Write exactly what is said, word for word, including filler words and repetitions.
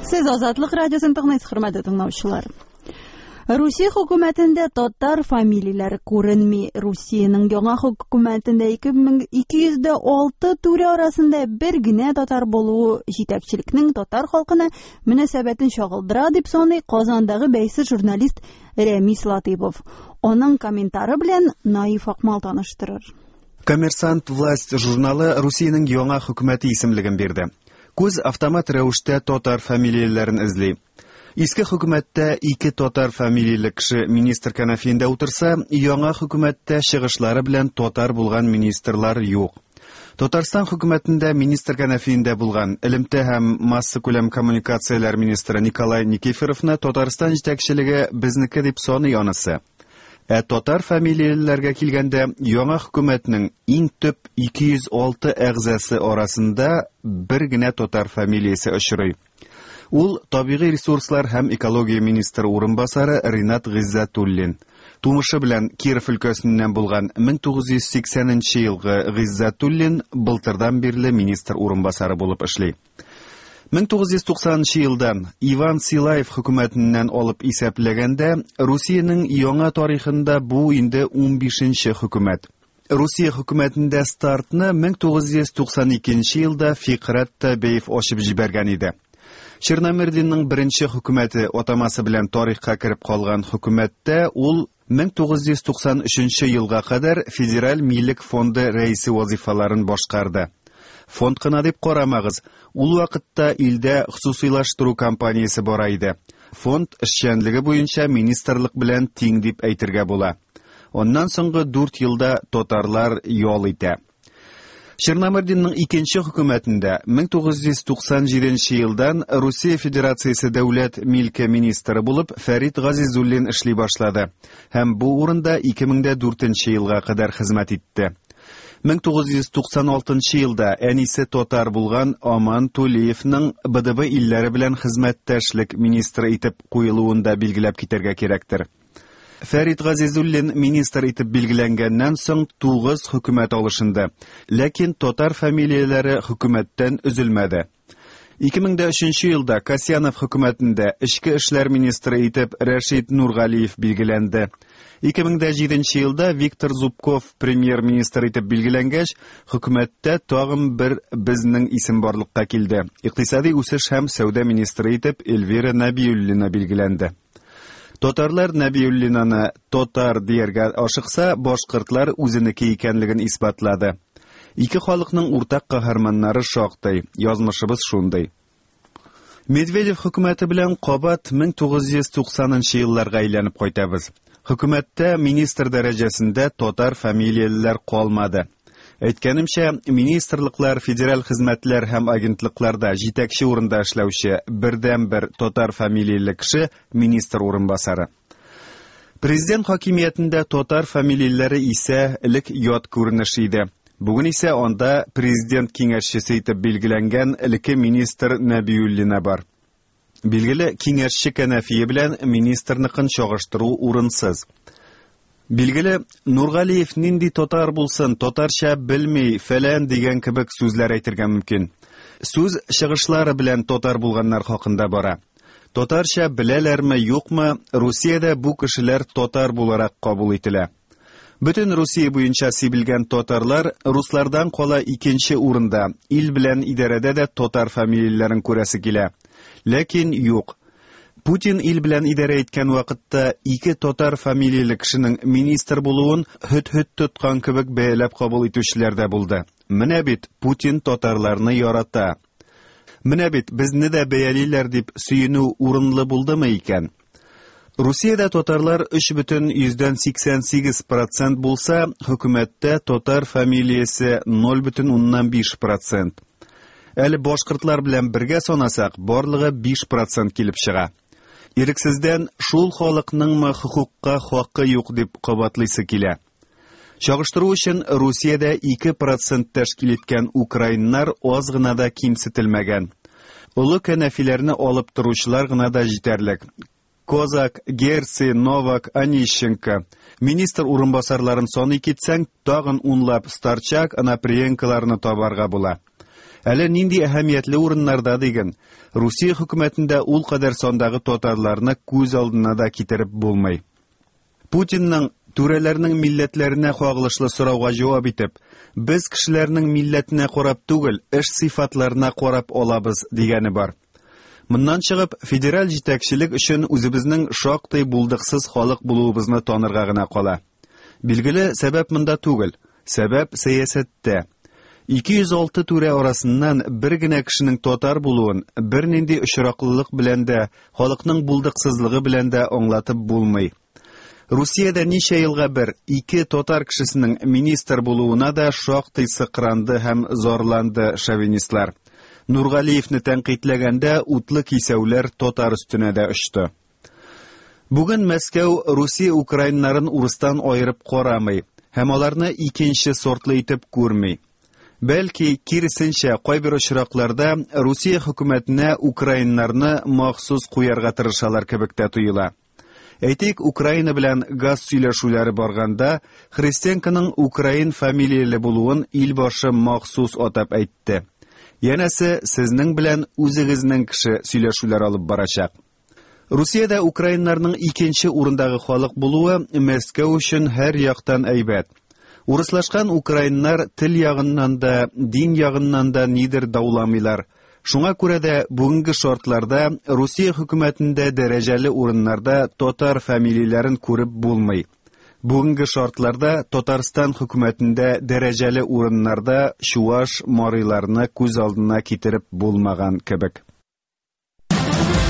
Сез Азатлык радиосын тыңлыйсыз, хөрмәтле тыңлаучылар. Русия хөкүмәтендә татар фамилияләре күренми. Русиянең яңа хөкүмәтендә ике мең ике йөз дә алты түрә арасында бер генә татар булуы җитәкчелекнең татар халкына мөнәсәбәтен чагылдыра дип саный Казандагы бәйсез журналист Рәмис Латыйпов. Аның комментары белән Наиф Акмал таныштырыр. Коммерсант Власть журналы Русиянең яңа хөкүмәте исемлеген бирде. Күз автомат рәвештә татар фамилияләрен эзли. Иске хөкүмәттә ике татар фамилияле кеше министр кәнәфиендә утырса, яңа хөкүмәттә чыгышлары белән татар булган министрлар юк. Татарстан хөкүмәтендә министр кәнәфиендә булган элемтә һәм массакүләм коммуникацияләр министры Николай Никифоровны Татарстан җитәкчелеге безнеке дип саный анысы. Ә татар фамилиялеләргә килгәндә, яңа хөкүмәтнең иң төп ике йөз алты әгъзасы арасында бер генә татар фамилиясе очрый. Ул табигый ресурслар һәм экология министры урынбасары Ринат Гыйззәтуллин. Тумышы белән Киров өлкәсеннән булган мең тугыз йөз сиксәненче елгы Гыйззәтуллин былтырдан бирле министр урынбасары булып эшли. Мең тугыз йөз туксанынчы елдан Иван Силаев хөкүмәтеннән алып исәпләгәндә, Русиянең яңа тарихында бу инде унбишенче хөкүмәт. Русия хөкүмәтендә стартны мең тугыз йөз туксан икенче елда Фикрәт Табеев ачып җибәргән иде. Черномырдинның беренче хөкүмәте атамасы белән тарихка кереп калган хөкүмәттә ул мең тугыз йөз туксан өченче елга кадәр Федераль милек фонды рәисе вазифаларын башкарды. Фонд кына дип карамагыз, ул вакытта илдә хосусыйлаштыру компаниясе бара иде. Фонд эшчәнлеге буенча министрлык белән тиң дип әйтергә була. Аннан соңгы дүрт елда татарлар ял итә. Черномырдинның икенче хөкүмәтендә мең тугыз йөз туксан җиденче елдан Русия Федерациясе дәүләт милке министры булып Фәрит Газизуллин эшли башлады һәм бу урында ике мең дә дүртенче елга кадәр хезмәт итте. Мең тугыз йөз туксан алтынчы елда әнисе татар булган Аман Тулеевның Б Д Б илләре белән хезмәттәшлек министры итеп куелуын да билгеләп китәргә кирәктер. Фәрит Газизуллин министр итеп билгеләнгәннән соң тугыз хөкүмәт алышынды. Ләкин татар фамилияләре хөкүмәттән өзелмәде. Ике мең дә өченче елда Касьянов хөкүмәтендә эчке эшләр министры итеп Рәшит Нургалиев билгеләнде. Ике мең дә җиденче елда Виктор Зубков премьер-министр итеп билгеләнгәч, хөкүмәттә тагын бер безнең исем барлыкка килде. Икътисади үсеш һәм сәүдә министры итеп Эльвира Нәбиуллина билгеләнде. Татарлар Нәбиуллинаны татар дияргә ашыкса, башкортлар үзенеке икәнлеген исбатлады. Ике халыкның уртак каһарманнары шактый, язмышыбыз шундый. Медведев хөкүмәте белән кабат мең тугыз йөз туксанынчы елларга әйләнеп кайтабыз. Хөкүмәттә министр дәрәҗәсендә татар фамилиялеләр калмады. Әйткәнемчә, министрлыклар, федераль хезмәтләр һәм агентлыкларда җитәкче урында эшләүче бердәнбер татар фамилияле кеше министр урынбасары. Президент хакимиятендә татар фамилияләре исә элек ят күренеш иде. Бүген исә анда президент киңәшчесе итеп билгеләнгән элекке министр Нәбиуллина бар. Билгеле, киңәшче кәнәфие белән министрныкын чагыштыру урынсыз. Билгеле, Нургалиев нинди татар булсын, татарча белми, фәлән дигән кебек сүзләр әйтергә мөмкин. Сүз чыгышлары белән татар булганнар хакында бара. Татарча беләләрме, юкмы, Русиядә бу кешеләр татар буларак кабул ителә. Бөтен Русия буенча сибелгән татарлар руслардан кала икенче урында, ил белән идарәдә дә татар фамилияләрен күрәсе килә. Ләкин юк. Путин ил белән идарә иткән вакытта ике татар фамилияле кешенең министр булуын һөт-һөт тоткан кебек бәяләп кабул итүчеләр дә булды. Менә бит Путин татарларны ярата. Менә бит безне дә бәялиләр дип сөенү урынлы булдымы икән? Русиядә татарлар өч бөтен йөздән сиксән сигез процент булса, хөкүмәттә татар фамилиясе ноль бөтен уннан биш процент. Әле башкортлар белән бергә санасак, барлыгы биш процент килеп чыга. Ирексездән шул халыкныңмы хокукка хакы юк дип кабатлыйсы килә. Чагыштыру өчен Русиядә ике процент тәшкил иткән украиннар аз гына да кимсетелмәгән. Олы кәнәфиләрне алып торучылар гына да җитәрлек. Козак, Герци, Новак, Онищенко. Министр урынбасарларын саный китсәң, тагын унлап Старчак, Анаприенколарны табарга була. Әле нинди әһәмиятле урыннарда диген. Русия хөкүмәтендә ул кадәр сандагы татарларны күз алдына да китереп булмый. Путинның түрәләрнең милләтләренә кагылышлы сорауга җавап итеп, без кешеләрнең милләтенә карап түгел, эш сыйфатларына карап алабыз дигәне бар. Моннан чыгып, федераль җитәкчелек өчен үзебезнең шактый булдыксыз халык булуыбызны танырга гына кала. Билгеле, сәбәп монда түгел, сәбәп сәясәттә. ике йөз алты түрә арасыннан бер генә кешенең татар булуын бернинди очраклылык белән дә, халыкның булдыксызлыгы белән дә аңлатып булмый. Русиядә ничә елга бер ике татар кешесенең министр булуына да шактый сыкранды һәм зарланды шовинистлар. Нургалиевне тәнкыйтьләгәндә утлы кисәүләр татар өстенә дә очты. Бүген Мәскәү Русия украиннарын урыстан аерып карамый һәм аларны икенче сортлы итеп күрми. Бәлки, киресенчә, кайбер очракларда Русия хөкүмәтенә украиннарны махсус куярга тырышалар кебек тә тоела. Әйтик, Украина белән газ сөйләшүләре барганда, Христенконың украин фамилияле булуын илбашы махсус атап әйтте. Янәсе, сезнең белән үзегезнең кеше сөйләшүләр алып барачак. Русиядә украиннарның икенче урындагы халык булуы Мәскәү өчен һәр яктан әйбәт. Урыслашкан украиннар тел ягыннан да, дин ягыннан да нидер дауламыйлар. Шуңа күрә дә бүгенге шартларда Русия хөкүмәтендә дәрәҗәле урыннарда татар фамилияләрен күреп булмый. Бүгенге шартларда Татарстан хөкүмәтендә дәрәҗәле урыннарда чуаш, мариларны күз алдына китереп булмаган кебек.